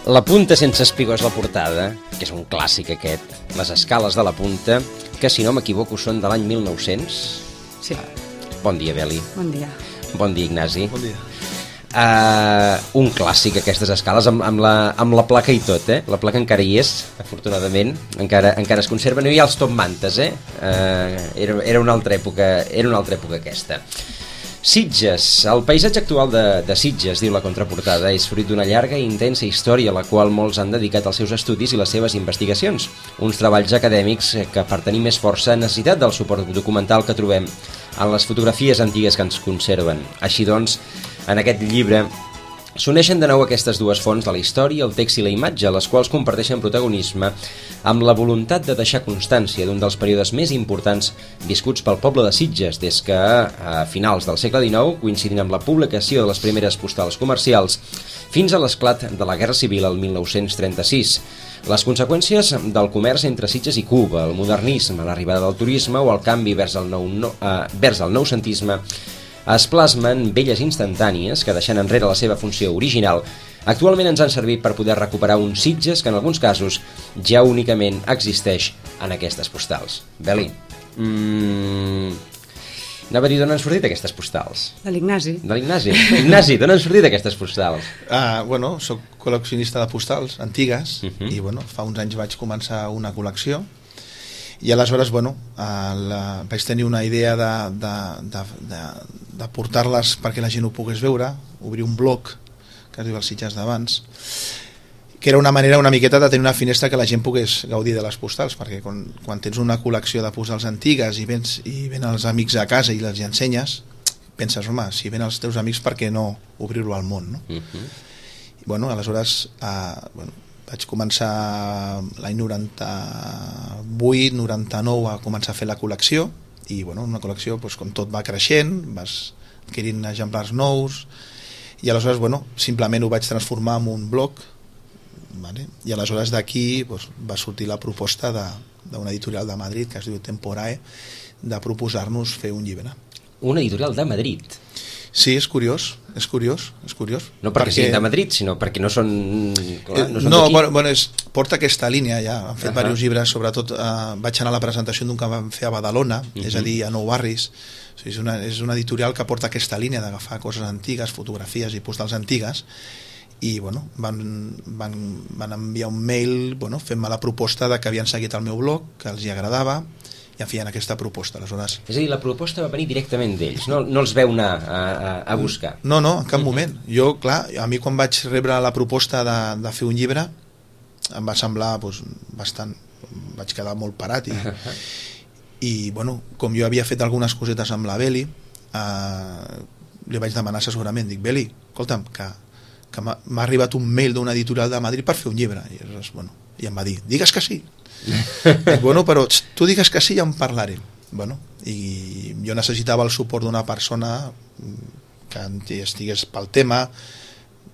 La punta sense espigó és la portada, que és un clàssic aquest, les escales de la punta, que si no m'equivoco són de l'any 1900. Sí. Bon dia, Beli. Bon dia. Bon dia, Ignasi. Bon dia. Un clàssic, aquestes escales, amb la placa i tot, eh? La placa encara hi és, afortunadament, encara es conserva. No hi ha els top mantes, eh? Era una altra època aquesta. Sitges. El paisatge actual de Sitges, diu la contraportada, és fruit d'una llarga i intensa història a la qual molts han dedicat els seus estudis i les seves investigacions. Uns treballs acadèmics que, per tenir més força, han necessitat del suport documental que trobem en les fotografies antigues que ens conserven. Així doncs, en aquest llibre s'uneixen de nou aquestes dues fonts de la història, el text i la imatge, les quals comparteixen protagonisme amb la voluntat de deixar constància d'un dels períodes més importants viscuts pel poble de Sitges, des que a finals del segle XIX, coincidint amb la publicació de les primeres postals comercials, fins a l'esclat de la Guerra Civil el 1936. Les conseqüències del comerç entre Sitges i Cuba, el modernisme, l'arribada del turisme o el canvi vers el noucentisme es plasmen belles instantànies que, deixant enrere la seva funció original, actualment ens han servit per poder recuperar un Sitges que en alguns casos ja únicament existeix en aquestes postals. Beli, anava a dir d'on han sortit aquestes postals? De l'Ignasi. De l'Ignasi. Ignasi, d'on han sortit aquestes postals? Bueno, soc col·leccionista de postals antigues i bueno, fa uns anys vaig començar una col·lecció i aleshores bueno, vaig tenir una idea de portar-les perquè la gent ho pogués veure, obrir un blog que es diu Els Sitges d'abans, que era una manera una miqueta de tenir una finestra que la gent pogués gaudir de les postals, perquè quan tens una col·lecció de postals antigues i ven els amics a casa i les ensenyes, penses, home, si ven els teus amics, per què no obrir-ho al món, no? I bueno, aleshores vaig començar l'any 98, 99 a començar a fer la col·lecció i bueno, una col·lecció doncs, com tot va creixent, vas adquirint exemplars nous i aleshores bueno, simplement ho vaig transformar en un blog, vale? I aleshores d'aquí doncs, va sortir la proposta d'una editorial de Madrid que es diu Temporae de proposar-nos fer un llibre. Una editorial de Madrid? Sí, és curiós. No perquè siguin de Madrid, sinó perquè no són... porta aquesta línia ja. Han fet diversos llibres, sobretot vaig anar a la presentació d'un que vam fer a Badalona, és a dir, a Nou Barris. O sigui, és una editorial que porta aquesta línia d'agafar coses antigues, fotografies i postals antigues i bueno, van enviar un mail fent-me la proposta de que havien seguit el meu blog, que els hi agradava i em feien aquesta proposta. Aleshores... És a dir, la proposta va venir directament d'ells, no els veu anar a buscar? No, en cap moment. Jo, clar, a mi quan vaig rebre la proposta de fer un llibre em va semblar bastant... Vaig quedar molt parat i bueno, com jo havia fet algunes cosetes amb la Beli, li vaig demanar assessorament. Dic, Beli, escolta'm, que m'ha arribat un mail d'una editorial de Madrid per fer un llibre. I em va dir, digues que sí. Dic, bueno, però tu digues que sí i ja en parlarem. I jo necessitava el suport d'una persona que estigués pel tema,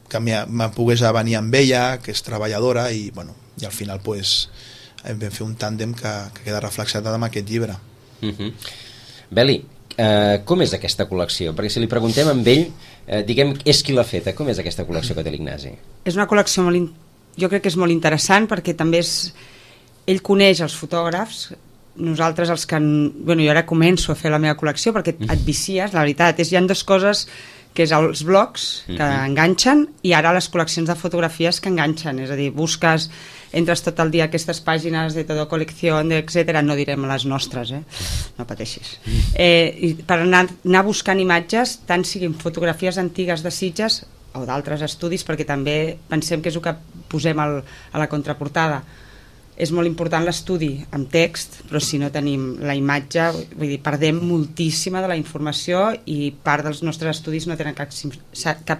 que me pogués venir amb ella, que és treballadora i al final vam fer un tàndem que queda reflexat en aquest llibre. Beli, com és aquesta col·lecció? Perquè si li preguntem amb ell, diguem, és qui l'ha feta, com és aquesta col·lecció que té l'Ignasi? És una col·lecció jo crec que és molt interessant perquè també ell coneix els fotògrafs, nosaltres els que... jo ara començo a fer la meva col·lecció perquè et vicies, la veritat, hi ha dues coses, que és els blogs que enganxen i ara les col·leccions de fotografies que enganxen, és a dir, entres tot el dia a aquestes pàgines de Todo Colección, etcètera, no direm les nostres, no pateixis. I per anar buscant imatges, tant siguin fotografies antigues de Sitges o d'altres estudis, perquè també pensem que és el que posem a la contraportada. És molt important l'estudi amb text, però si no tenim la imatge, vull dir, perdem moltíssima de la informació i part dels nostres estudis no tenen cap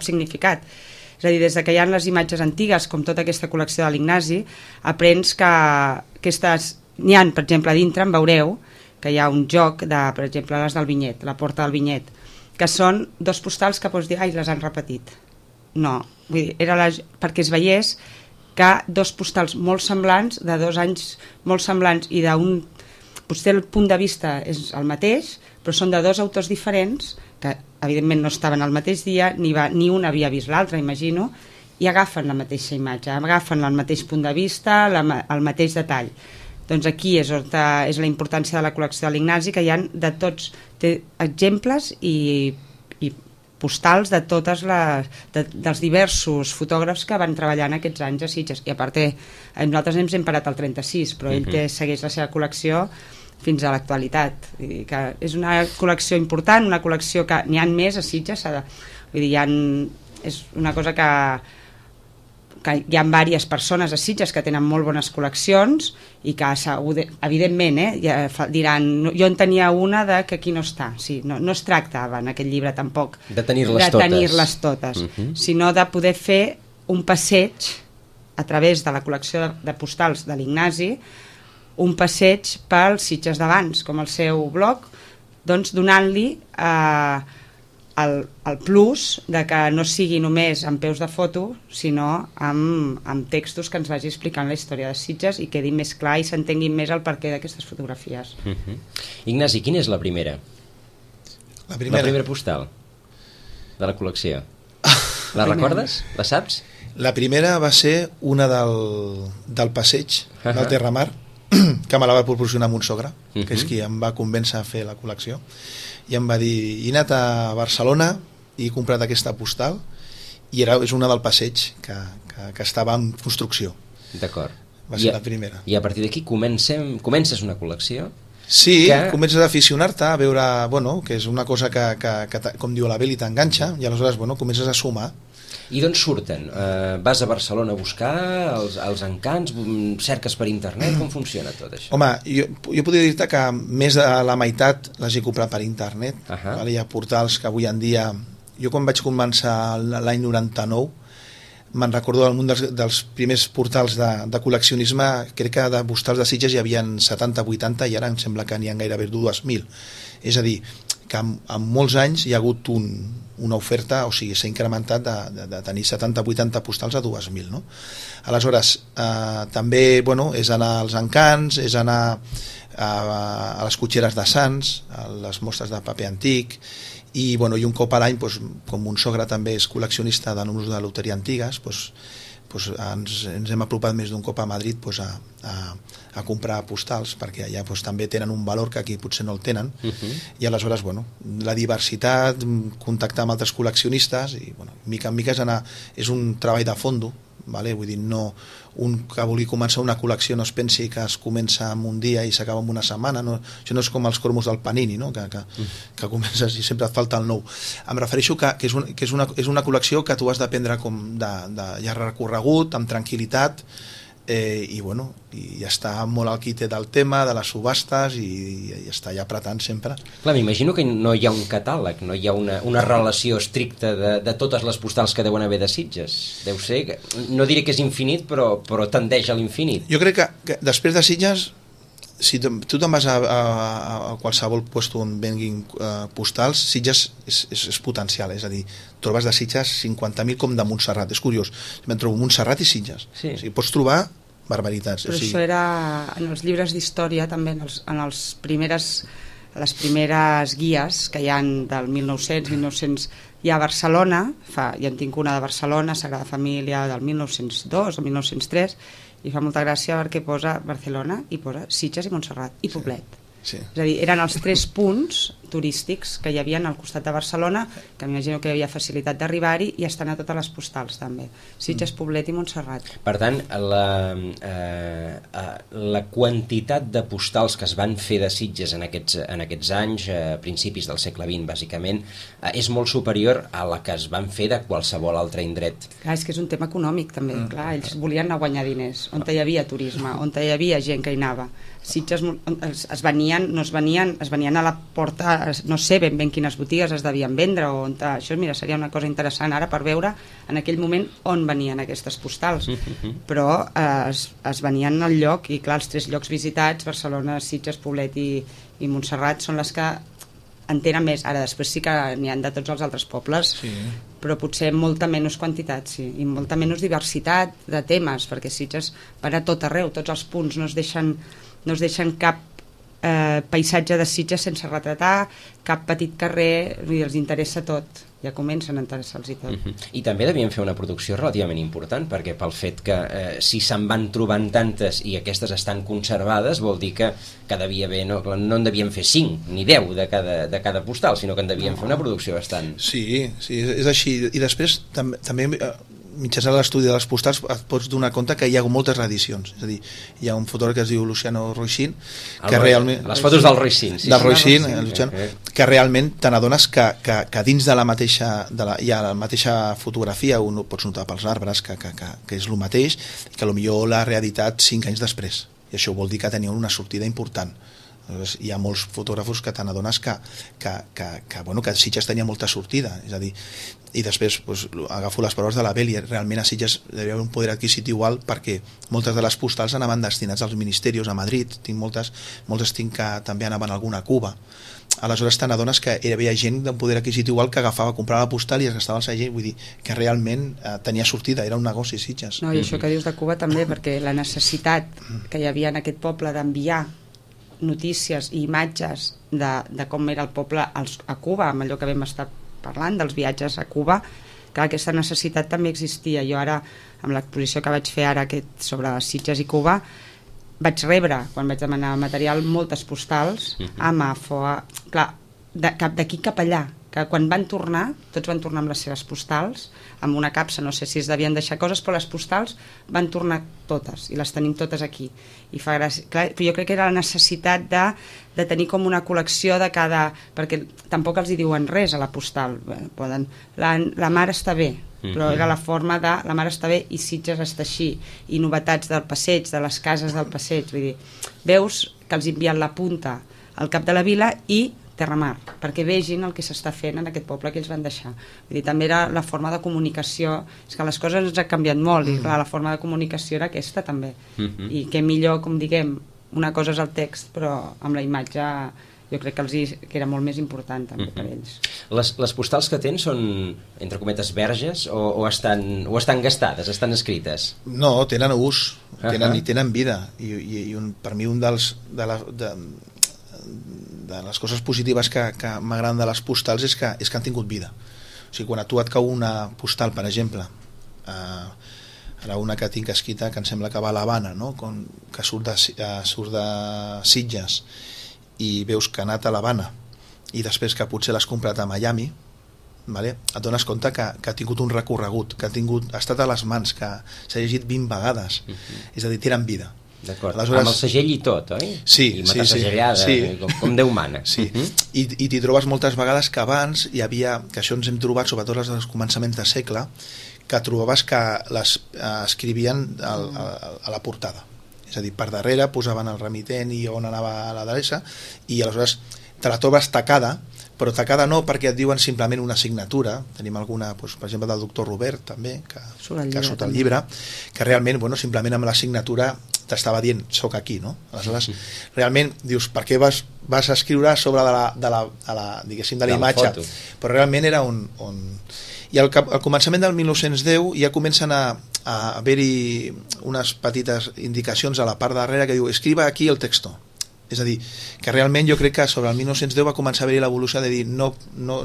significat. És a dir, des que hi ha les imatges antigues, com tota aquesta col·lecció de l'Ignasi, aprens que aquestes... N'hi ha, per exemple, a dintre en veureu que hi ha un joc de, per exemple, les del Vinyet, la porta del Vinyet, que són dos postals que pots dir, ai, les han repetit. No, vull dir, era perquè es veiés que dos postals molt semblants, de 2 anys molt semblants i d'un... Potser el punt de vista és el mateix, però són de 2 autors diferents que evidentment no estaven al mateix dia, ni un havia vist l'altre, imagino, i agafen la mateixa imatge, agafen el mateix punt de vista, el mateix detall. Doncs aquí és la importància de la col·lecció de l'Ignasi, que hi ha de tots, té exemples i postals de dels diversos fotògrafs que van treballar en aquests anys a Sitges, i a part nosaltres ens hem parat al 36, però ell segueix la seva col·lecció fins a l'actualitat. És una col·lecció important, una col·lecció que n'hi ha més a Sitges, vull dir, és una cosa que hi ha diverses persones a Sitges que tenen molt bones col·leccions i que evidentment diran, jo en tenia una que aquí no està. Sí, no es tractava en aquest llibre tampoc de tenir-les totes, sinó de poder fer un passeig a través de la col·lecció de postals de l'Ignasi, un passeig pels Sitges d'abans, com el seu blog, doncs donant-li el plus de que no sigui només amb peus de foto, sinó amb textos que ens vagi explicant la història de Sitges i quedi més clar i s'entenguin més el perquè d'aquestes fotografies. Ignasi, quina és la primera? La primera postal de la col·lecció. La recordes? La saps? La primera va ser una del passeig del Terramar, que me la va proporcionar mon sogre, que és qui em va convèncer a fer la col·lecció, i em va dir, he anat a Barcelona i he comprat aquesta postal, i és una del passeig que estava en construcció. D'acord. Va ser la primera. I a partir d'aquí comences una col·lecció? Sí, comences a aficionar-te, a veure, que és una cosa que com diu la Beli, t'enganxa, i aleshores, comences a sumar. I d'on surten? Vas a Barcelona a buscar els encants? Cerques per internet? Com funciona tot això? Home, jo podria dir-te que més de la meitat les he comprat per internet. Hi ha portals que avui en dia... Jo quan vaig començar l'any 99, me'n recordo un dels primers portals de col·leccionisme, crec que de postals de Sitges hi havia 70-80 i ara em sembla que n'hi ha gairebé 2.000. És a dir, que en molts anys hi ha hagut una oferta, o sigui, s'ha incrementat de tenir 70-80 postals a 2.000, no? Aleshores, també, és anar als encants, és anar a les cotxeres de Sants, a les mostres de paper antic, i un cop a l'any, com mon sogre també és col·leccionista de números de loteria antigues, ens hem apropat més d'un cop a Madrid a comprar postals, perquè allà també tenen un valor que aquí potser no el tenen, i aleshores la diversitat, contactar amb altres col·leccionistes, i mica en mica és un treball de fondo, vull dir, no un que vulgui començar una col·lecció no es pensi que es comença en un dia i s'acaba en una setmana, això no és com els cromos del Panini, que comences i sempre et falta el nou. Em refereixo que és una col·lecció que tu has de prendre com de llarg recorregut, amb tranquil·litat, i està molt al quite del tema, de les subhastes, i està ja apretant sempre. Clar, m'imagino que no hi ha un catàleg, no hi ha una relació estricta de totes les postals que deuen haver de Sitges. Deu ser, no diré que és infinit, però tendeix a l'infinit. Jo crec que després de Sitges, si tu te'n vas a qualsevol lloc on venguin postals, Sitges és potencial, és a dir, trobes de Sitges 50.000 com de Montserrat, és curiós, me'n trobo Montserrat i Sitges, o sigui, pots trobar barbaritats. Però això era en els llibres d'història també, en les primeres guies que hi ha del 1900, hi ha a Barcelona, ja en tinc una de Barcelona, Sagrada Família, del 1902 o 1903, i fa molta gràcia perquè posa Barcelona i posa Sitges i Montserrat i Poblet. Sí. És a dir, eren els 3 punts turístics que hi havia al costat de Barcelona, que m'imagino que hi havia facilitat d'arribar-hi, i estan a totes les postals també, Sitges, Poblet i Montserrat. Per tant, la quantitat de postals que es van fer de Sitges en aquests anys, a principis del segle XX bàsicament, és molt superior a la que es van fer de qualsevol altre indret. Clar, és que és un tema econòmic també, clar, ells volien anar a guanyar diners, on hi havia turisme, on hi havia gent que hi anava. Sitges es venien a la porta, no sé ben quines botigues es devien vendre, això seria una cosa interessant ara per veure en aquell moment on venien aquestes postals, però es venien al lloc, i clar, els 3 llocs visitats, Barcelona, Sitges, Poblet i Montserrat, són les que en tenen més. Ara després sí que n'hi ha de tots els altres pobles, però potser molta menys quantitat, i molta menys diversitat de temes, perquè Sitges van a tot arreu, tots els punts no es deixen cap paisatge de Sitges sense retratar, cap petit carrer, vull dir, els interessa tot, ja comencen a interessar-los i tot. I també devien fer una producció relativament important, perquè pel fet que si se'n van trobant tantes i aquestes estan conservades, vol dir que devia haver, no en devien fer 5 ni 10 de cada postal, sinó que en devien fer una producció bastant... Sí, és així. I després també mitjançant l'estudi de les postals et pots donar compte que hi ha moltes reedicions, és a dir, hi ha un fotògraf que es diu Luciano Roixin que realment... Les fotos del Roixin, del Roixin, que realment te n'adones que dins de la mateixa hi ha la mateixa fotografia, un pots notar pels arbres que és el mateix, i que potser l'ha reeditat 5 anys després, i això vol dir que tenia una sortida important. Hi ha molts fotògrafos que te n'adones que Sitges tenia molta sortida, és a dir, i després agafo les paraules de la Beli, realment a Sitges hi havia un poder adquisitiu alt perquè moltes de les postals anaven destinats als ministeris a Madrid, moltes tinc que també anaven alguna a Cuba. Aleshores te n'adones que hi havia gent d'un poder adquisitiu alt que agafava, comprava la postal i es gastava el segell, vull dir que realment tenia sortida, era un negoci Sitges. No, i això que dius de Cuba també, perquè la necessitat que hi havia en aquest poble d'enviar notícies i imatges de com era el poble a Cuba, amb allò que vam estar parlant dels viatges a Cuba, que aquesta necessitat també existia. Jo ara, amb l'exposició que vaig fer ara sobre Sitges i Cuba, vaig rebre, quan vaig demanar material, moltes postals, clar, d'aquí cap allà, que quan van tornar, tots van tornar amb les seves postals, amb una capsa, no sé si es devien deixar coses, però les postals van tornar totes, i les tenim totes aquí. I fa gràcia, clar, però jo crec que era la necessitat de tenir com una col·lecció de cada... perquè tampoc els hi diuen res a la postal, poden... La mar està bé, però era la forma de la mar està bé i Sitges està així, i novetats del passeig, de les cases del passeig, vull dir, veus que els envien la punta al cap de la vila i Terramar, perquè vegin el que s'està fent en aquest poble que ells van deixar. Vull dir, també era la forma de comunicació, és que les coses ens han canviat molt, i clar, la forma de comunicació era aquesta també, i que millor, com diguem, una cosa és el text, però amb la imatge jo crec que era molt més important també per ells. Les postals que tens són, entre cometes, verges o estan gastades, estan escrites? No, tenen ús, tenen vida, i per mi un de les coses positives que m'agraden de les postals és que han tingut vida. O sigui, quan a tu et cau una postal, per exemple, ara una que tinc escrita que em sembla que va a l'Havana, no? Que surt de Sitges i veus que ha anat a l'Havana i després que potser l'has comprat a Miami, vale? Et dones compte que ha tingut un recorregut, que ha estat a les mans, que s'ha llegit 20 vegades, és a dir, tenen vida. D'acord, amb el segell i tot, oi? Sí, i matasegellada, com Déu mana. Sí, i t'hi trobes moltes vegades que abans hi havia, que això ens hem trobat, sobretot als començaments de segle, que trobaves que les escrivien a la portada. És a dir, per darrere posaven el remitent i on anava l'adreça, i aleshores te la trobes tacada, però tacada no perquè et diuen simplement una signatura. Tenim alguna, doncs, per exemple, del doctor Robert també, que surt al llibre, que realment, simplement amb la signatura t'estava dient, soc aquí, no? Aleshores, realment, dius, per què vas a escriure a sobre de la imatge? Però realment era I al començament del 1910 ja comencen a haver-hi unes petites indicacions a la part darrere que diu, escriba aquí el texto. És a dir, que realment jo crec que sobre el 1910 va començar a haver-hi l'evolució de dir no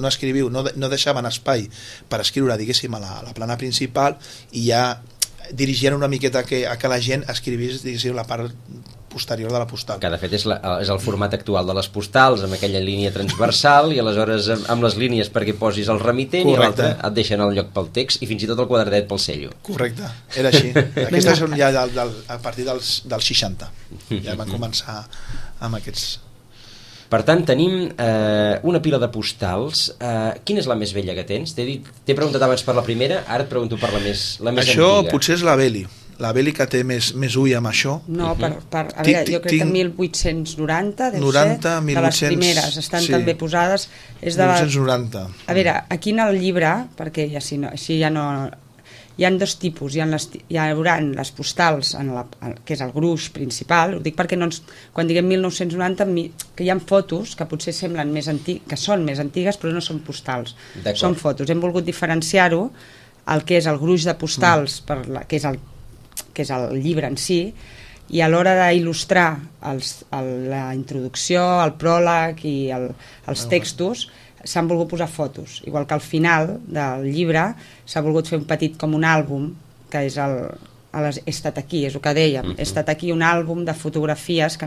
escriviu, no deixaven espai per escriure, diguéssim, a la plana principal, i ja dirigien una miqueta a que la gent escrivís, diguéssim, la part posterior de la postal. Que de fet és el format actual de les postals, amb aquella línia transversal, i aleshores amb les línies perquè posis el remitent. Correcte. I l'altre et deixen el lloc pel text i fins i tot el quadradet pel cello. Correcte, era així. Aquestes són ja a partir dels 60. Ja van començar amb aquests... Per tant, tenim una pila de postals. Quina és la més vella que tens? T'he preguntat abans per la primera, ara et pregunto per la més antiga. Això potser és la Beli. La Beli que té més ull amb això. No, a veure, jo crec que 1890 deu ser, de les primeres, estan també posades. És de 1890. A veure, aquí en el llibre, perquè així ja no... Hi ha dos tipus, hi haurà les postals, que és el gruix principal, ho dic perquè quan diguem 1990, que hi ha fotos que potser semblen que són més antigues, però no són postals, són fotos. Hem volgut diferenciar-ho, el que és el gruix de postals, que és el llibre en si, i a l'hora d'il·lustrar la introducció, el pròleg i els textos s'han volgut posar fotos, igual que al final del llibre s'ha volgut fer un petit com un àlbum, que és he estat aquí, és el que dèiem, he estat aquí, un àlbum de fotografies que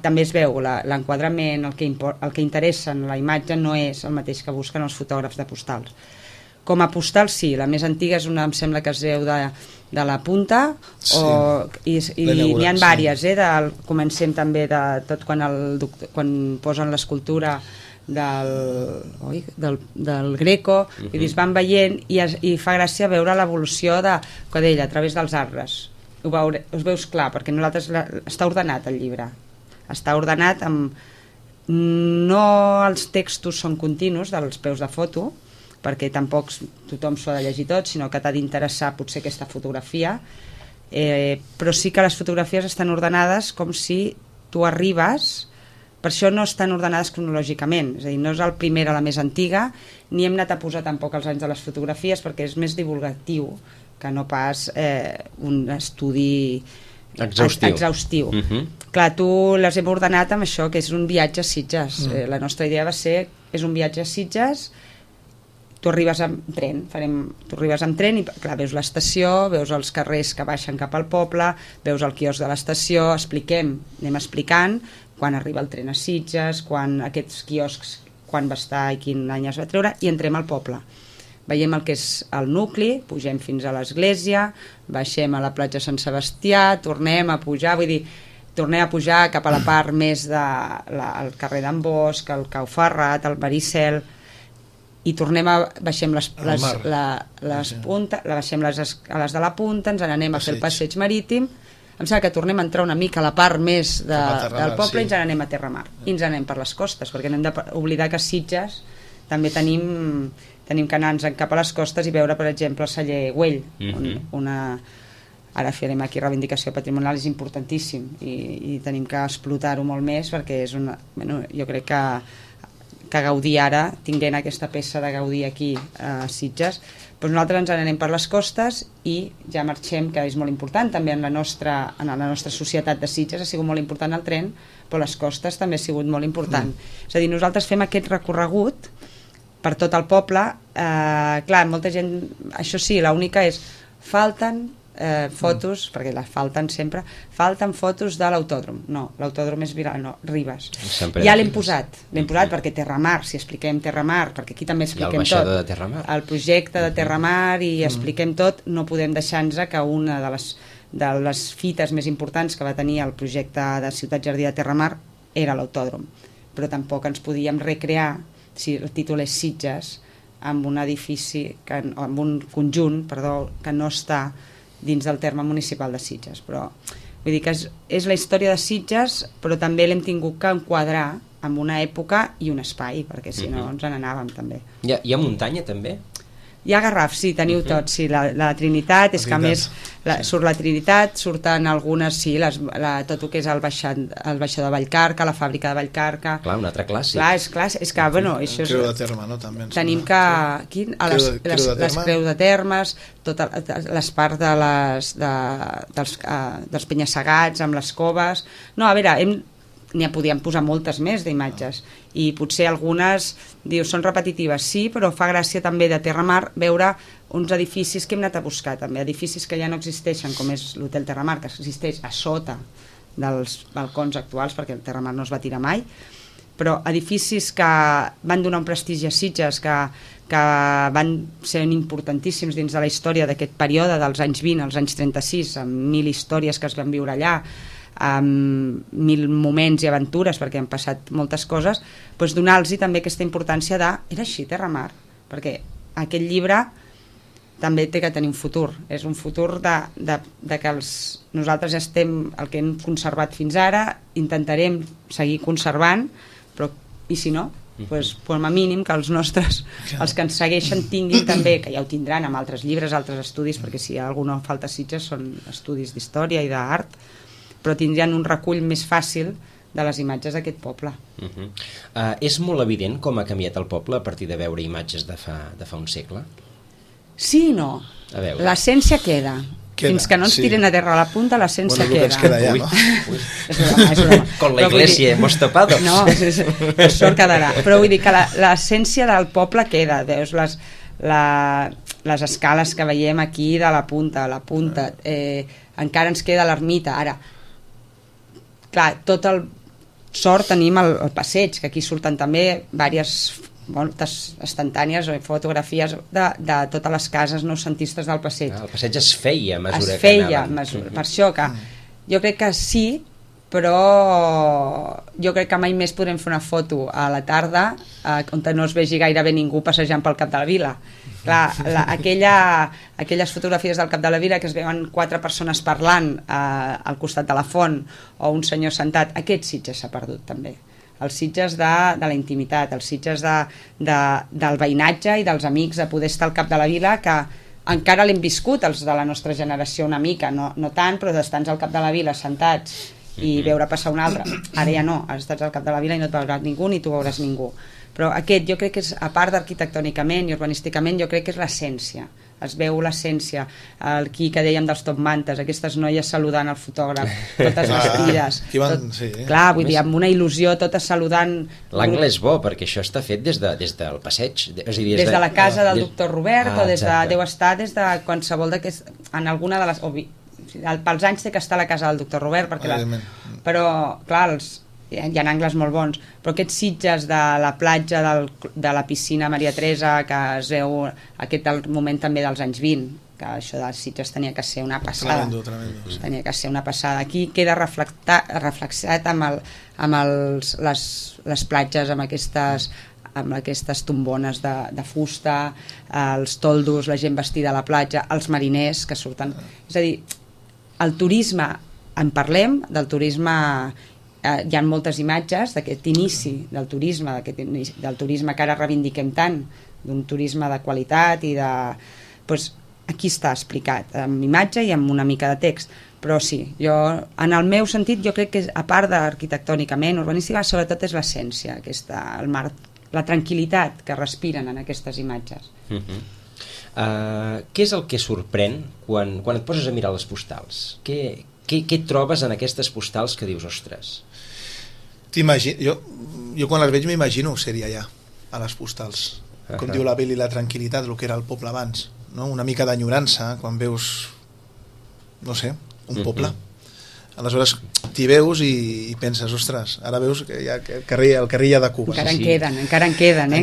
també es veu l'enquadrament, el que interessa en la imatge no és el mateix que busquen els fotògrafs de postals. Com a postal sí, la més antiga és una, em sembla que es veu de la punta, i n'hi ha diverses, comencem també de tot quan posen l'escultura del Greco, i es van veient i fa gràcia veure l'evolució de Cadella a través dels arbres. Us veus clar, perquè nosaltres està ordenat el llibre, està ordenat amb no els textos són continus dels peus de foto, perquè tampoc tothom s'ho ha de llegir tot, sinó que t'ha d'interessar potser aquesta fotografia, però sí que les fotografies estan ordenades com si tu arribes. Per això no estan ordenades cronològicament, és a dir, no és el primer a la més antiga, ni hem anat a posar tampoc els anys de les fotografies perquè és més divulgatiu que no pas un estudi exhaustiu. Clar, tu les hem ordenat amb això, que és un viatge a Sitges. La nostra idea va ser, és un viatge a Sitges, tu arribes amb tren i clar, veus l'estació, veus els carrers que baixen cap al poble, veus el quiosc de l'estació, anem explicant quan arriba el tren a Sitges, quan aquests quioscs, quan va estar i quin any es va treure, i entrem al poble. Veiem el que és el nucli, pugem fins a l'església, baixem a la platja Sant Sebastià, tornem a pujar, tornem a pujar cap a la part més del carrer d'en Bosch, el Cau Ferrat, el Maricel, i baixem les puntes, baixem les escales de la punta, ens n'anem a fer el passeig marítim. Em sembla que tornem a entrar una mica a la part més del poble, i ens n'anem a Terramar, i ens n'anem per les costes, perquè no hem d'oblidar que a Sitges també tenim que anar-nos cap a les costes i veure, per exemple, el celler Güell, ara farem aquí reivindicació patrimonial, és importantíssim i tenim que explotar-ho molt més, perquè és jo crec que Gaudí ara, tinguent aquesta peça de Gaudí aquí a Sitges, doncs nosaltres ens n'anem per les costes i ja marxem, que és molt important també en la nostra societat de Sitges, ha sigut molt important el tren, però les costes també ha sigut molt important. És a dir, nosaltres fem aquest recorregut per tot el poble. Clar, molta gent, això sí, l'única és, falten fotos, perquè les falten sempre, falten fotos de l'autòdrom. No, l'autòdrom és Ribes. Ja l'hem posat perquè Terramar, si expliquem Terramar, perquè aquí també expliquem tot. El projecte de Terramar i expliquem tot, no podem deixar-nos que una de les fites més importants que va tenir el projecte de Ciutat Jardí de Terramar era l'autòdrom. Però tampoc ens podíem recrear, si el títol és Sitges, amb un edifici, amb un conjunt, que no està dins del terme municipal de Sitges, però vull dir que és la història de Sitges, però també l'hem tingut que enquadrar en una època i un espai, perquè si no ens n'anàvem també. Hi ha muntanya també? Hi ha Garraf, sí, teniu tot, sí, la Trinitat, és que a més surt la Trinitat, surten algunes, sí, tot el que és el baixador de Vallcarca, la fàbrica de Vallcarca. Clar, un altre clàssic. Clar, és que, bueno, això és... Creu de Terme, no? També tenim que... Les Creus de Termes, totes les parts dels penya-segats, amb les coves... No, a veure, n'hi podíem posar moltes més d'imatges i potser algunes són repetitives, sí, però fa gràcia també de Terramar veure uns edificis que hem anat a buscar també, edificis que ja no existeixen, com és l'Hotel Terramar, que existeix a sota dels balcons actuals perquè el Terramar no es va tirar mai, però edificis que van donar un prestigi a Sitges, que van ser importantíssims dins de la història d'aquest període dels anys 20 als anys 36, amb 1000 històries que es van viure allà, amb 1000 moments i aventures, perquè han passat moltes coses, doncs donar-los també aquesta importància de... Era així, Terramar, perquè aquest llibre també té que tenir un futur, és un futur de que nosaltres estem, el que hem conservat fins ara, intentarem seguir conservant, però i si no, doncs com a mínim que els nostres, els que ens segueixen tinguin també, que ja ho tindran amb altres llibres, altres estudis, perquè si hi ha alguna falta a Sitges són estudis d'història i d'art, però tindrien un recull més fàcil de les imatges d'aquest poble. És molt evident com ha canviat el poble a partir de veure imatges de fa un segle? Sí i no. L'essència queda. Fins que no ens tiren a terra a la punta, l'essència bueno, queda. Ja, no? És broma. Con la iglesia hemos topado. No, això quedarà. Però vull dir que l'essència del poble queda. Veus les escales que veiem aquí de la punta, encara ens queda l'ermita. Ara, clar, tot el sort tenim el passeig, que aquí surten també moltes instantànies o fotografies de totes les cases noucentistes del passeig. El passeig es feia a mesura que anaven. Per això que jo crec que sí, però jo crec que mai més podrem fer una foto a la tarda on no es vegi gairebé ningú passejant pel cap de la vila. Clar, aquelles fotografies del cap de la vila que es veuen 4 persones parlant al costat de la font o un senyor sentat, aquest Sitges s'ha perdut també. Els Sitges de la intimitat, els Sitges del veïnatge i dels amics, de poder estar al cap de la vila, que encara l'hem viscut els de la nostra generació una mica, no tant, però d'estar al cap de la vila sentats i veure passar un altre. Ara ja no, ara estàs al cap de la vila i no et veuràs ningú ni tu veuràs ningú. Però aquest jo crec que és, a part d'arquitectònicament i urbanísticament, jo crec que és l'essència. Es veu l'essència, aquí que dèiem dels top mantes, aquestes noies saludant el fotògraf, totes vestides. Clar, vull dir, amb una il·lusió, totes saludant. L'angle és bo, perquè això està fet des del passeig. Des de la casa del doctor Robert, o deu estar des de qualsevol d'aquest, en alguna de les... Pels anys té que estar a la casa del doctor Robert, però, clar, hi ha angles molt bons, però aquests Sitges de la platja de la piscina Maria Teresa, que es veu aquest moment també dels anys 20, que això dels Sitges tenia que ser una passada. Tremendo. Tenia que ser una passada. Aquí queda reflexat amb les platges, amb aquestes tombones de fusta, els toldos, la gent vestida a la platja, els mariners que surten. És a dir, el turisme, en parlem, del turisme, hi ha moltes imatges d'aquest inici del turisme que ara reivindiquem tant, d'un turisme de qualitat i de... Doncs aquí està explicat, amb imatge i amb una mica de text. Però sí, jo, en el meu sentit, jo crec que a part d'arquitectònicament, urbanística, sobretot és l'essència, el mar, la tranquil·litat que respiren en aquestes imatges. Què és el que sorprèn quan et poses a mirar les postals? Què trobes en aquestes postals que dius, ostres? Jo quan les veig m'imagino ser-hi allà, a les postals. Com diu la Beli, la tranquil·litat, el que era el poble abans, no? Una mica d'enyorança quan veus, no sé, un poble. Aleshores t'hi veus i penses, ostres, ara veus que hi ha el carrer ja de Cuba. Encara en queden. Encara en queden, no?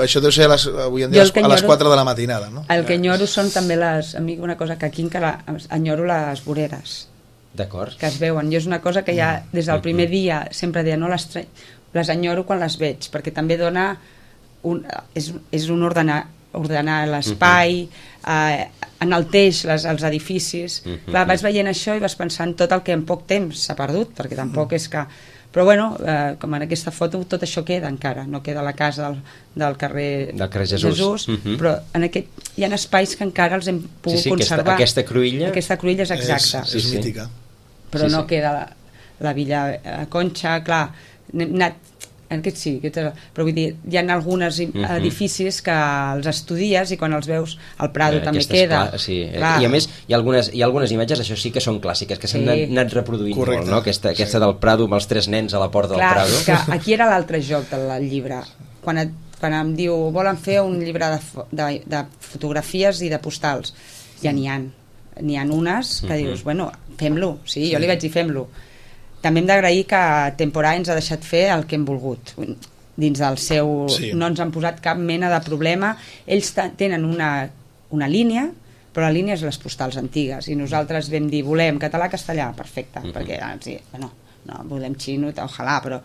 Això deu ser avui en dia a les 4 de la matinada, no? El que enyoro són també una cosa que aquí encara enyoro les voreres. D'acord. Que es veuen. Jo és una cosa que ja des del primer dia sempre deia, no les enyoro quan les veig, perquè també dona és un ordenar l'espai, enalteix els edificis. Clar, vas veient això i vas pensant tot el que en poc temps s'ha perdut, perquè tampoc és que... Però bueno, com en aquesta foto tot això queda encara, no queda la casa del carrer Jesús, però hi ha espais que encara els hem pogut conservar. Aquesta cruïlla és exacta. És mítica. Però no queda la Villa Concha, clar, hem anat però vull dir, hi ha alguns edificis que els estudies i quan els veus al Prado també queda. I a més hi ha algunes imatges, això sí que són clàssiques, que s'han anat reproduint molt, no? Aquesta del Prado amb els 3 nens a la porta del Prado. Que aquí era l'altre joc del llibre, quan em diu volen fer un llibre de fotografies i de postals, ja n'hi ha unes que dius, bueno, fem-lo, sí, jo li vaig dir fem-lo. També hem d'agrair que Temporà ens ha deixat fer el que hem volgut dins del seu... No ens han posat cap mena de problema. Ells tenen una línia, però la línia és les postals antigues, i nosaltres vam dir volem català-castellà, perfecte, perquè no volem xino, ojalà, però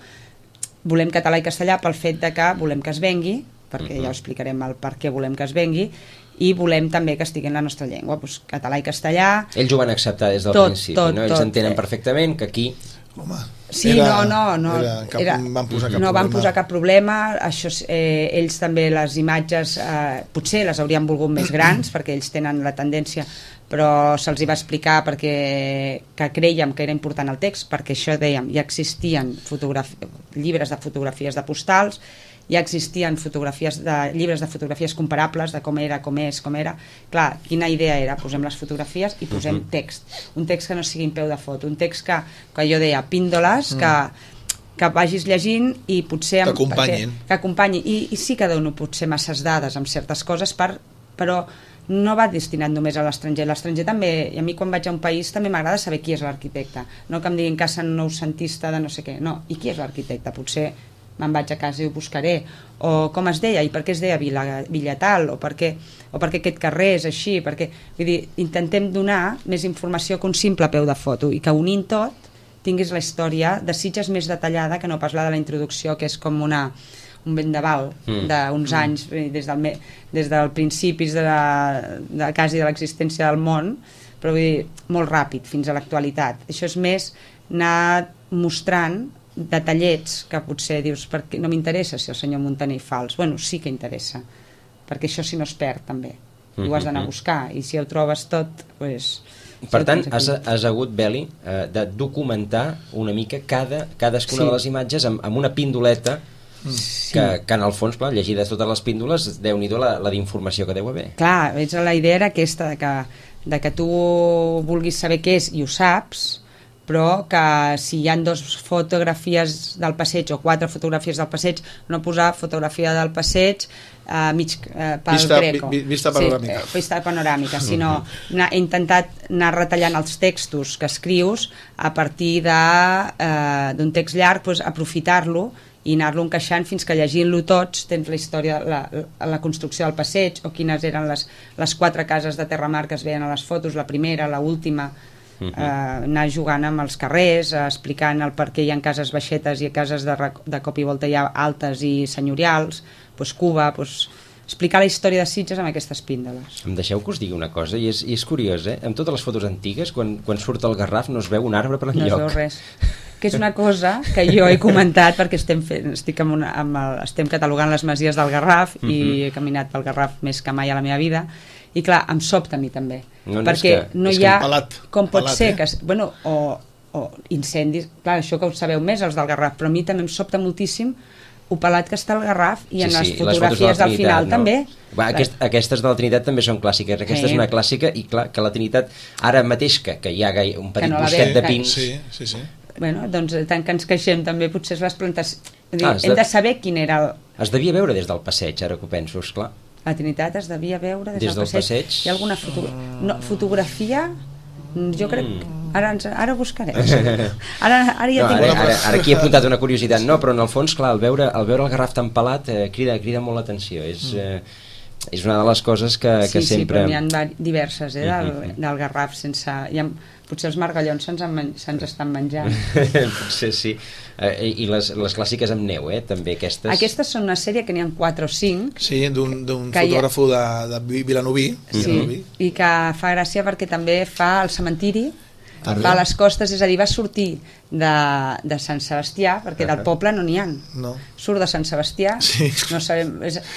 volem català i castellà pel fet de que volem que es vengui, perquè ja ho explicarem el per què volem que es vengui, i volem també que estigui en la nostra llengua, doncs català i castellà. Ells ho van acceptar des del principi, no? Ells entenen perfectament que aquí... Sí, no van posar cap problema. Això, ells també les imatges potser les haurien volgut més grans perquè ells tenen la tendència, però se'ls hi va explicar perquè que creiem que era important el text, perquè això dèiem, ja existien llibres de fotografies de postals ja existien llibres de fotografies comparables de com era, com és, com era. Clar, quina idea era? Posem les fotografies i posem text. Un text que no sigui en peu de foto, un text que jo deia píndoles, que vagis llegint i potser... Que acompanyi. I sí que dono potser masses dades amb certes coses, però no va destinat només a l'estranger. L'estranger també, i a mi quan vaig a un país també m'agrada saber qui és l'arquitecte, no que em diguin casa noucentista de no sé què, no, i qui és l'arquitecte? Potser me'n vaig a casa i ho buscaré, o com es deia i per què es deia Villa tal, o per què aquest carrer és així, perquè, vull dir, intentem donar més informació que un simple peu de foto i que unint tot tinguis la història de Sitges més detallada que no pas la de la introducció, que és com un vendaval d'uns anys des del principis de quasi de l'existència del món, però vull dir, molt ràpid fins a l'actualitat. Això és més anar mostrant detallets que potser dius, perquè no m'interessa si el senyor Muntaner hi fa els. Bueno, sí que interessa, perquè això si no es perd també, i ho has d'anar a buscar, i si ho trobes tot, doncs... Per tant, has hagut, Beli, de documentar una mica cadascuna de les imatges amb una pindoleta que en el fons, clar, llegides totes les píndoles, déu-n'hi-do la d'informació que deu haver. Clar, la idea era aquesta, de que tu vulguis saber què és i ho saps, però que si hi ha 2 fotografies del passeig o 4 fotografies del passeig, no posar fotografia del passeig pel Greco. Vista panoràmica. Sí, vista panoràmica, sinó he intentat anar retallant els textos que escrius a partir d'un text llarg, doncs, aprofitar-lo i anar-lo encaixant fins que llegint-lo tots tens la història, la construcció del passeig o quines eren les 4 cases de terramar que es veien a les fotos, la primera, la última, anar jugant amb els carrers, explicant el per què hi ha cases baixetes i cases de cop i volta hi ha altes i senyorials, doncs Cuba, doncs explicar la història de Sitges amb aquestes píndoles. Em deixeu que us digui una cosa, i és curiós, amb totes les fotos antigues, quan surt el Garraf no es veu un arbre per enlloc. No es veu res, que és una cosa que jo he comentat perquè estem catalogant les masies del Garraf i he caminat pel Garraf més que mai a la meva vida, i clar, em sobta a mi també, perquè no hi ha... Com pot ser que... Bueno, o incendis, clar, això que ho sabeu més els del Garraf, però a mi també em sobta moltíssim ho pelat que està el Garraf i en les fotografies del final també. Aquestes de la Trinitat també són clàssiques. Aquesta és una clàssica i clar, que la Trinitat ara mateix que hi ha un petit bosquet de pins... Sí. Bueno, doncs tant que ens queixem també potser les plantes... Hem de saber quin era el... Es devia veure des del passeig, ara que ho penso, esclar. La Trinitat es devia veure des del passeig. Hi ha alguna fotografia? Jo crec... Ara ho buscarem. Ara aquí he apuntat una curiositat. No, però en el fons, clar, al veure el Garraf tan pelat crida molt l'atenció. És una de les coses que sempre... Sí, però n'hi ha diverses del Garraf sense... Potser els margallons se'ns estan menjant. Potser sí. I les clàssiques amb neu, també aquestes... Aquestes són una sèrie que n'hi ha 4 o 5. Sí, d'un fotògraf de Vilanoví. Sí, i que fa gràcia perquè també fa el cementiri, va a les costes, és a dir, va sortir de Sant Sebastià, perquè del poble no n'hi ha. Surt de Sant Sebastià, no sabem...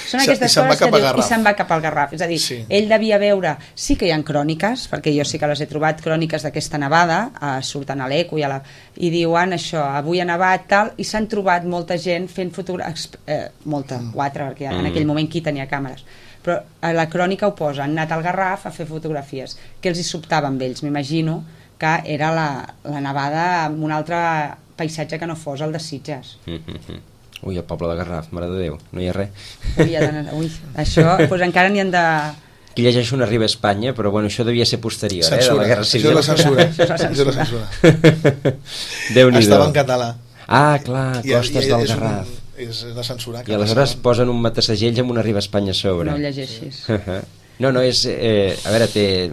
Són aquestes coses que diu, i se'n va cap al Garraf. És a dir, ell devia veure... Sí que hi ha cròniques, perquè jo sí que les he trobat, cròniques d'aquesta nevada, surten a l'Eco i diuen això, avui ha nevat, tal, i s'han trobat molta gent fent fotografies... 4, perquè en aquell moment qui tenia càmeres. Però a la crònica ho posa, han anat al Garraf a fer fotografies. Què els hi sobtava amb ells? M'imagino que era la nevada amb un altre paisatge que no fos el de Sitges. Ui, el poble de Garraf, mare de Déu, no hi ha res. Això, doncs encara n'hi han de... Aquí llegeixo una Arriba a Espanya, però bueno, això devia ser posterior, de la Guerra Civil. Això és la censura. Déu-n'hi-do. Estava en català. Ah, clar, costes del Garraf. És de censurar. I aleshores posen un matasegells amb una Arriba a Espanya a sobre. No ho llegeixis. No, és... a veure, té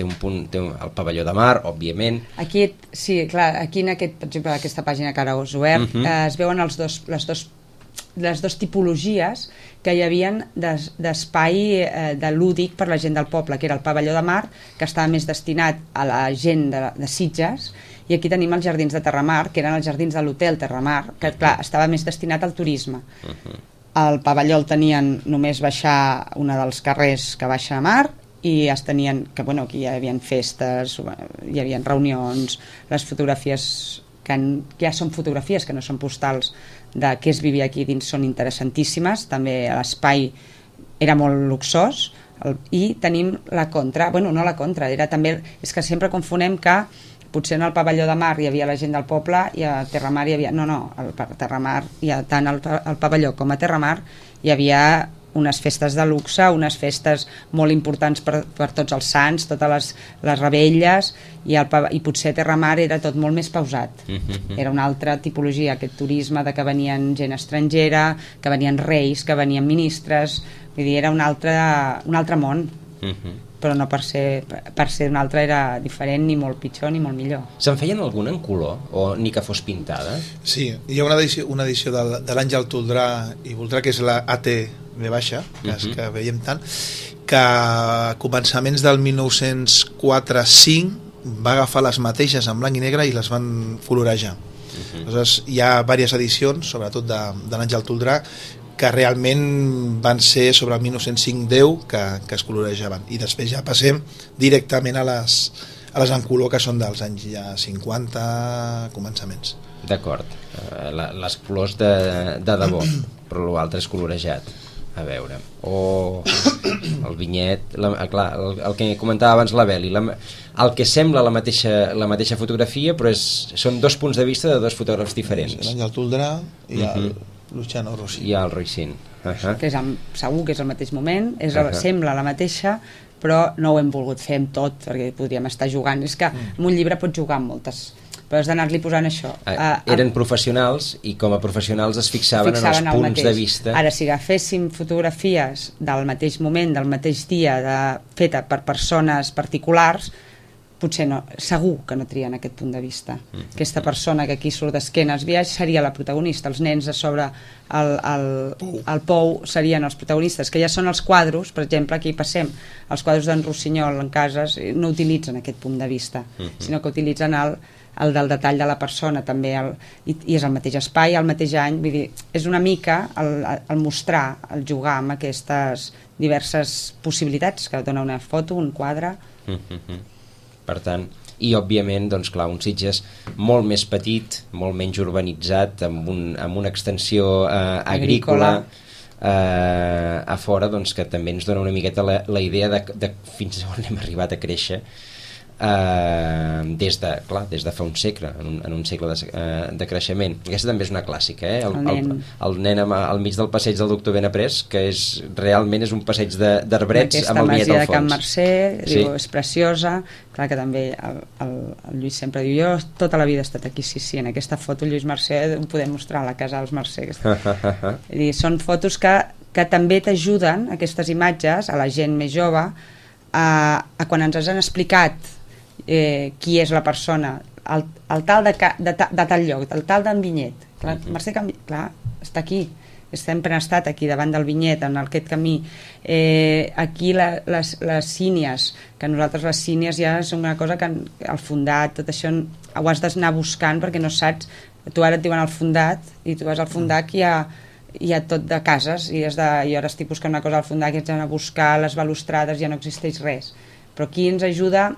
un punt... Té el pavelló de mar, òbviament. Aquí, sí, clar, aquí en per exemple, aquesta pàgina que ara us he obert, es veuen les dos tipologies que hi havia d'espai de lúdic per la gent del poble, que era el pavelló de mar, que estava més destinat a la gent de Sitges, i aquí tenim els jardins de Terramar, que eren els jardins de l'hotel Terramar, que clar, estava més destinat al turisme. El pavelló el tenien només baixar una dels carrers que baixa a mar i es tenien, que bueno, aquí hi havia festes, hi havia reunions, les fotografies que ja són fotografies, que no són postals de què es vivia aquí dins, són interessantíssimes. També l'espai era molt luxós, i tenim la contra, bueno, no la contra, era també, és que sempre confonem que potser en el pavelló de mar hi havia la gent del poble i a Terramar hi havia... No, al Terramar, tant al pavelló com a Terramar hi havia unes festes de luxe, unes festes molt importants per tots els sants, totes les rebelles, i potser Terramar era tot molt més pausat. Era una altra tipologia, aquest turisme de que venien gent estrangera, que venien reis, que venien ministres, vull dir, era un altre món. Però no per ser un altre era diferent, ni molt pitjor ni molt millor. Se'n feien alguna en color o ni que fos pintada? Sí, hi ha una edició de l'Àngel Toldrà i Voltrà, que és la AT V baixa, que veiem tant, que a començaments del 1904-5 va agafar les mateixes en blanc i negre i les van colorejar. Aleshores, hi ha diverses edicions, sobretot de l'Àngel Toldrà, que realment van ser sobre el 1905-10 que es colorejaven, i després ja passem directament a les en color, que són dels anys ja 50 començaments. D'acord, les colors de debò, però l'altre és colorejat. A veure, el vinyet, clar, el que comentava abans la Beli, el que sembla la mateixa fotografia, però són dos punts de vista de dos fotògrafs diferents. L'Àngel Toldrà i el Luciano Rossi. I el Roisin. Que segur que és el mateix moment, sembla la mateixa, però no ho hem volgut fer amb tot, perquè podríem estar jugant. És que en un llibre pots jugar amb moltes, però has d'anar-li posant això. Eren professionals i com a professionals es fixaven en els punts de vista. Ara, si agaféssim fotografies del mateix moment, del mateix dia, feta per persones particulars, potser no, segur que no trien aquest punt de vista. Aquesta persona que aquí surt d'esquena als viatges seria la protagonista, els nens a sobre el pou serien els protagonistes, que ja són els quadros, per exemple, aquí passem, els quadros d'en Rossinyol en cases no utilitzen aquest punt de vista, sinó que utilitzen el del detall de la persona també, i és el mateix espai, el mateix any, vull dir, és una mica el mostrar, el jugar amb aquestes diverses possibilitats que dona una foto, un quadre. Per tant, i òbviament, doncs clar, un Sitges molt més petit, molt menys urbanitzat, amb una extensió agrícola a fora, doncs que també ens dona una miqueta la idea de fins on hem arribat a créixer des de fa un segle, en un segle de creixement. Aquesta també és una clàssica, el nen al mig del passeig del Doctor Benaprés, que realment és un passeig d'arbrets amb el vinyet al fons. Aquesta masia de Can Mercè, diu, és preciosa. Clar que també el Lluís sempre diu, jo tota la vida he estat aquí, sí, en aquesta foto Lluís Mercè ho podem mostrar a la casa dels Mercè. Són fotos que també t'ajuden, aquestes imatges, a la gent més jove, a quan ens han explicat qui és la persona, el tal de tal lloc, el tal d'en Vinyet, clar, Mercè Can Vinyet, clar, està aquí, sempre ha estat aquí davant del Vinyet, en aquest camí. Aquí les sínies, que nosaltres les sínies ja és una cosa que el fundat, tot això ho has d'anar buscant perquè no saps, tu ara et diuen el fundat i tu vas al fundat i hi ha tot de cases i ara estic buscant una cosa al fundat que ets d'anar a buscar les balustrades, ja no existeix res, però aquí ens ajuda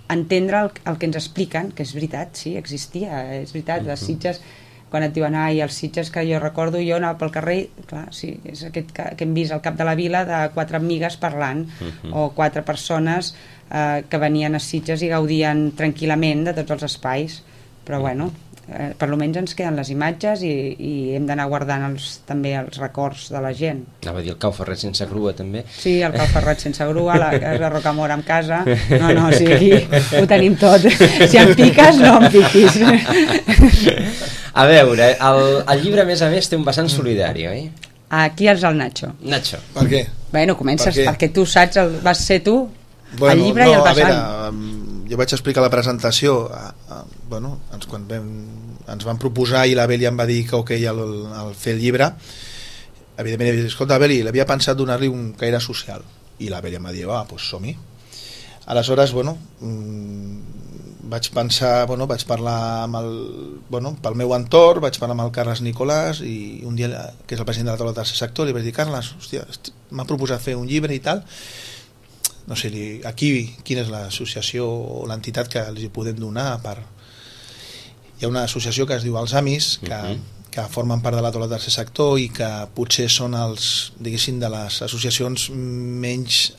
entendre el que ens expliquen, que és veritat, sí, existia, és veritat, les Sitges, quan et diuen, els Sitges que jo recordo, jo anava pel carrer, clar, sí, és aquest que hem vist al cap de la vila de 4 amigues parlant, o 4 persones que venien a Sitges i gaudien tranquil·lament de tots els espais, però bueno, per almenys ens queden les imatges i hem d'anar guardant també els records de la gent. Anava a dir el Cau Ferret sense grua també. Sí, el Cau Ferret sense grua, la casa Rocamora amb casa, no, sí, aquí ho tenim tot, si em piques no em piquis. A veure, el llibre a més té un vessant solidari, oi? Aquí és el Nacho. Per què? Bueno, comences perquè tu saps, vas ser tu, el llibre i el vessant. A veure, jo vaig explicar la presentació, quan ens van proposar i la Beli em va dir que ok, el fer el llibre, evidentment he dit, escolta Beli, l'havia pensat donar-li un caire social, i la Beli em va dir, doncs som-hi. Aleshores, vaig pensar, vaig parlar pel meu entorn, vaig parlar amb el Carles Nicolàs, i un dia, que és el president de la taula del tercer sector, li vaig dir, Carles, hòstia, m'ha proposat fer un llibre i tal, no sé, aquí quina és l'associació o l'entitat que els hi podem donar per... hi ha una associació que es diu Els Amis, que formen part de la taula del tercer sector i que potser són els, diguéssim, de les associacions menys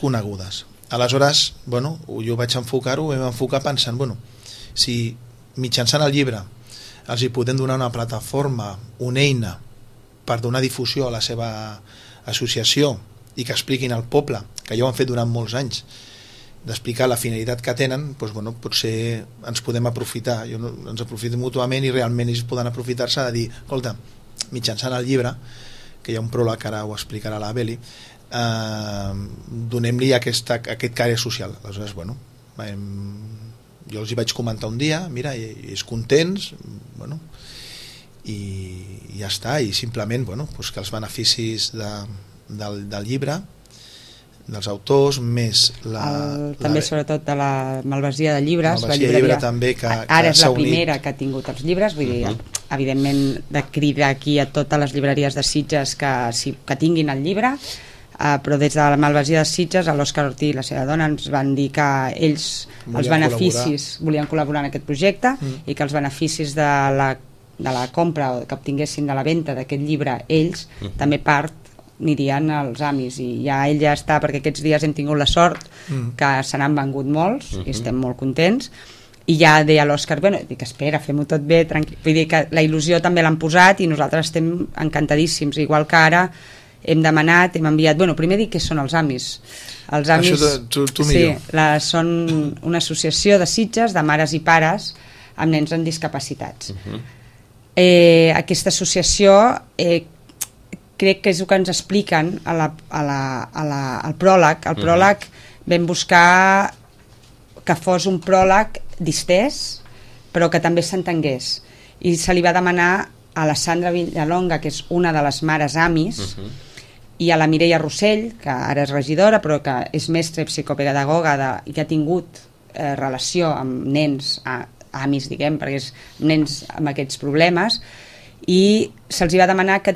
conegudes. Aleshores, bueno, jo vaig enfocar-ho, vam enfocar pensant, bueno, si mitjançant el llibre els hi podem donar una plataforma, una eina per donar difusió a la seva associació i que expliquin al poble, que ja ho han fet durant molts anys, d'explicar la finalitat que tenen, doncs, bueno, potser ens podem aprofitar, ens aprofitem mútuament i realment ells poden aprofitar-se de dir, escolta, mitjançant el llibre, que hi ha un pròleg que ara ho explicarà la Beli, donem-li aquest caire social. Aleshores, bueno, jo els hi vaig comentar un dia, mira, i ells contents, bueno, i ja està, i simplement, bueno, doncs que els beneficis del llibre, dels autors, més també sobretot de la Malvasia de llibres, la llibreria també, que ara és la primera que ha tingut els llibres, vull dir, evidentment de cridar aquí a totes les llibreries de Sitges que tinguin el llibre, però des de la Malvasia de Sitges l'Òscar Ortí i la seva dona ens van dir que ells els beneficis volien col·laborar en aquest projecte i que els beneficis de la compra o que obtinguessin de la venda d'aquest llibre ells també part anirien als Amis, i ja ell ja està, perquè aquests dies hem tingut la sort que se n'han vengut molts i estem molt contents, i ja deia l'Òscar, bueno, dic, espera, fem-ho tot bé, tranquil. Vull dir que la il·lusió també l'han posat i nosaltres estem encantadíssims, igual que ara hem demanat, hem enviat, bueno, primer dic què són els Amis. Els Amis, tu millor. Sí, són una associació de Sitges de mares i pares amb nens amb discapacitats. Aquesta associació crec que és el que ens expliquen al pròleg. Al pròleg vam buscar que fos un pròleg distès, però que també s'entengués. I se li va demanar a la Sandra Villalonga, que és una de les mares Amis, i a la Mireia Rossell, que ara és regidora, però que és mestra i psicopedagoga i que ha tingut relació amb nens Amis, diguem, perquè és nens amb aquests problemes, i se'ls va demanar que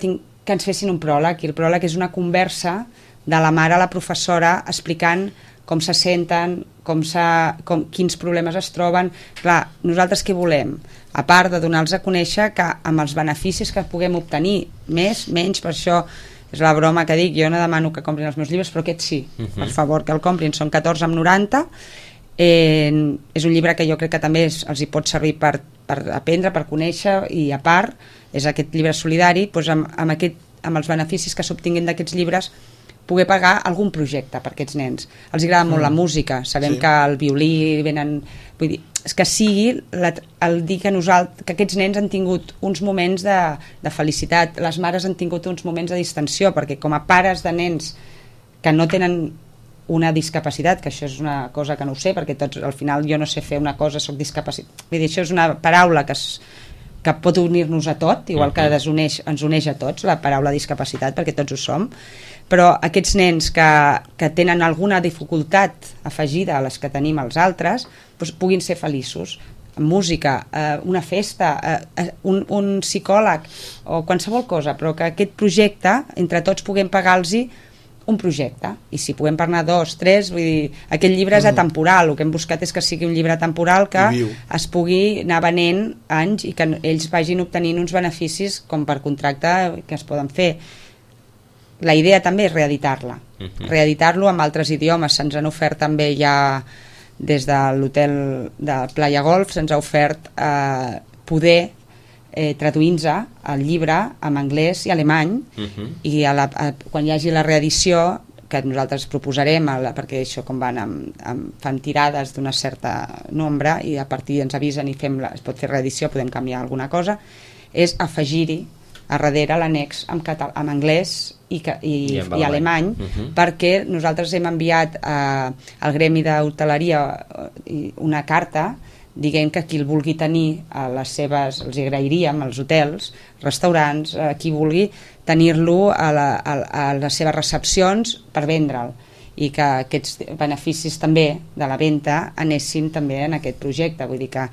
ens fessin un pròleg, i el pròleg és una conversa de la mare a la professora explicant com se senten, quins problemes es troben. Clar, nosaltres què volem? A part de donar-los a conèixer que amb els beneficis que puguem obtenir, més, menys, per això és la broma que dic, jo no demano que comprin els meus llibres, però aquest sí, per favor, que el comprin, són 14,90. És un llibre que jo crec que també els hi pot servir per aprendre, per conèixer, i a part és aquest llibre solidari, doncs amb els beneficis que s'obtinguin d'aquests llibres poder pagar algun projecte per aquests nens. Els agrada molt la música, sabem que el violí venen... Vull dir, és que sigui el dir que aquests nens han tingut uns moments de felicitat, les mares han tingut uns moments de distensió, perquè com a pares de nens que no tenen una discapacitat, que això és una cosa que no ho sé, perquè tots, al final jo no sé fer una cosa, soc discapacitat. Vull dir, això és una paraula que pot unir-nos a tot, igual que ens uneix a tots, la paraula discapacitat, perquè tots ho som, però aquests nens que tenen alguna dificultat afegida a les que tenim els altres, doncs puguin ser feliços. Música, una festa, un psicòleg o qualsevol cosa, però que aquest projecte, entre tots puguem pagar-los un projecte, i si puguem parlar 2, 3, vull dir, aquest llibre és atemporal, el que hem buscat és que sigui un llibre temporal que es pugui anar venent anys i que ells vagin obtenint uns beneficis com per contracte que es poden fer. La idea també és reeditar-la, reeditar-lo amb altres idiomes. Se'ns han ofert també ja des de l'hotel de Playa Golf, se'ns ha ofert poder traduint-se el llibre en anglès i alemany, i quan hi hagi la reedició, que nosaltres proposarem, perquè això com van fan tirades d'una certa nombre i a partir ens avisen i es pot fer reedició, podem canviar alguna cosa, és afegir-hi a darrere l'annex en anglès i alemany, perquè nosaltres hem enviat al gremi d'hoteleria una carta diguem que qui el vulgui tenir a les seves, els agrairíem als hotels, restaurants, qui vulgui tenir-lo a les seves recepcions per vendre'l, i que aquests beneficis també de la venda anessin també en aquest projecte. Vull dir que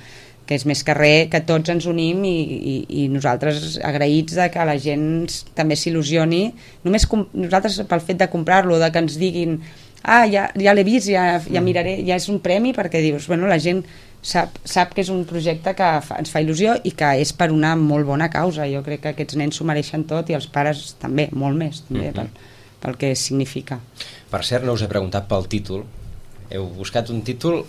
que és més que res que tots ens unim i nosaltres agraïts de que la gent també s'il·lusioni, només nosaltres pel fet de comprar-lo, de que ens diguin ja l'he vist, ja miraré, ja és un premi, perquè dius, bueno, la gent sap que és un projecte que ens fa il·lusió i que és per una molt bona causa. Jo crec que aquests nens s'ho mereixen tot i els pares també, molt més també, pel que significa. Per cert, no us he preguntat pel títol. Heu buscat un títol...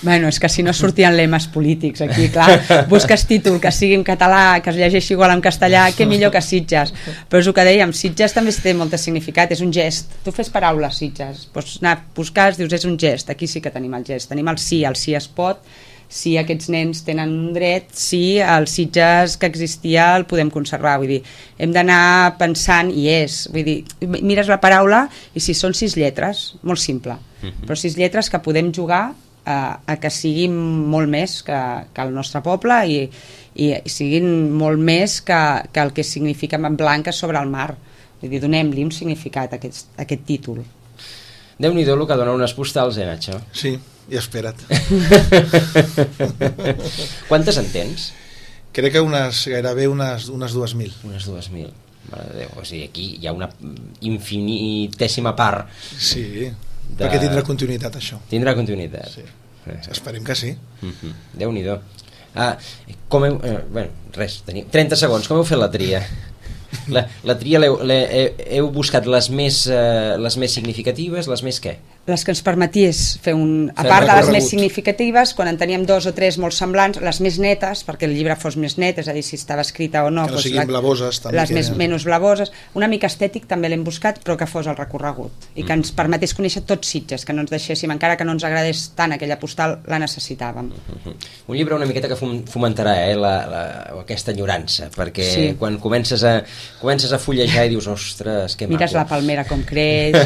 Bueno, és que si no sortien lemes polítics aquí, clar, busques títol que sigui en català, que es llegeixi igual en castellà, que millor que Sitges. Però és el que dèiem, Sitges també té molt de significat, és un gest. Tu fes paraules, Sitges, pots anar a buscar, dius, és un gest, aquí sí que tenim el gest, tenim el sí es pot, si aquests nens tenen un dret, si el Sitges que existia el podem conservar, vull dir, hem d'anar pensant, i vull dir, mires la paraula i si són 6 lletres, molt simple, però 6 lletres que podem jugar a que siguin molt més que el nostre poble i siguin molt més que el que significa en blanc sobre el mar, vull dir, donem-li un significat a aquest títol. Déu-n'hi-do el que dona unes postals, Nacho? Sí, i espera't. Quantes en tens? Crec que gairebé unes 2.000. Unes 2.000, mare de Déu. O sigui, aquí hi ha una infinitèsima part. Sí, perquè tindrà continuïtat, això. Tindrà continuïtat. Sí. Esperem que sí. Déu-n'hi-do. Bueno, res, 30 segons, com heu fet la tria? La tria heu buscat les més significatives, les més què? Les que ens permetés fer a part de les més significatives, quan en teníem 2 o 3 molt semblants, les més netes, perquè el llibre fos més net, és a dir, si estava escrita o no, que no siguin blavoses, també, les menys blavoses, una mica estètic també l'hem buscat, però que fos el recorregut i que ens permetés conèixer tots Sitges, que no ens deixéssim, encara que no ens agradés tant aquella postal, la necessitàvem. Un llibre una miqueta que fomentarà aquesta enyorança, perquè quan comences a fullejar i dius, ostres, que maco. Mires la palmera com creix,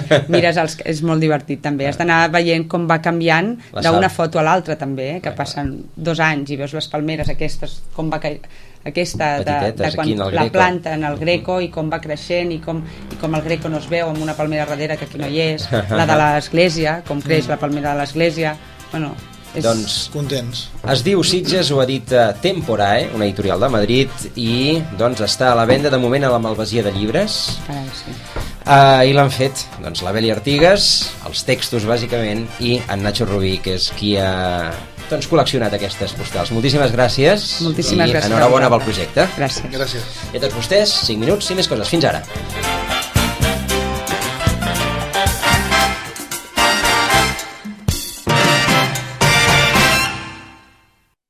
és molt divertit també, has d'anar veient com va canviant d'una foto a l'altra també, que passen 2 anys i veus les palmeres aquestes, com va aquesta de quan la planta en el Greco i com va creixent i com el Greco no es veu amb una palmera darrere que aquí no hi és, la de l'església, com creix la palmera de l'església, bueno... Doncs contents. Es diu Sitges, ho ha dit Temporae, una editorial de Madrid, i doncs està a la venda de moment a la Malvasia de Llibres. Sí. I l'han fet doncs la Beli Artigas, els textos bàsicament, i en Nacho Rubí, que és qui ha col·leccionat aquestes postals. Moltíssimes gràcies. Moltíssimes gràcies. Enhorabona pel projecte. Gràcies. I a tots vostès, 5 minuts i més coses. Fins ara.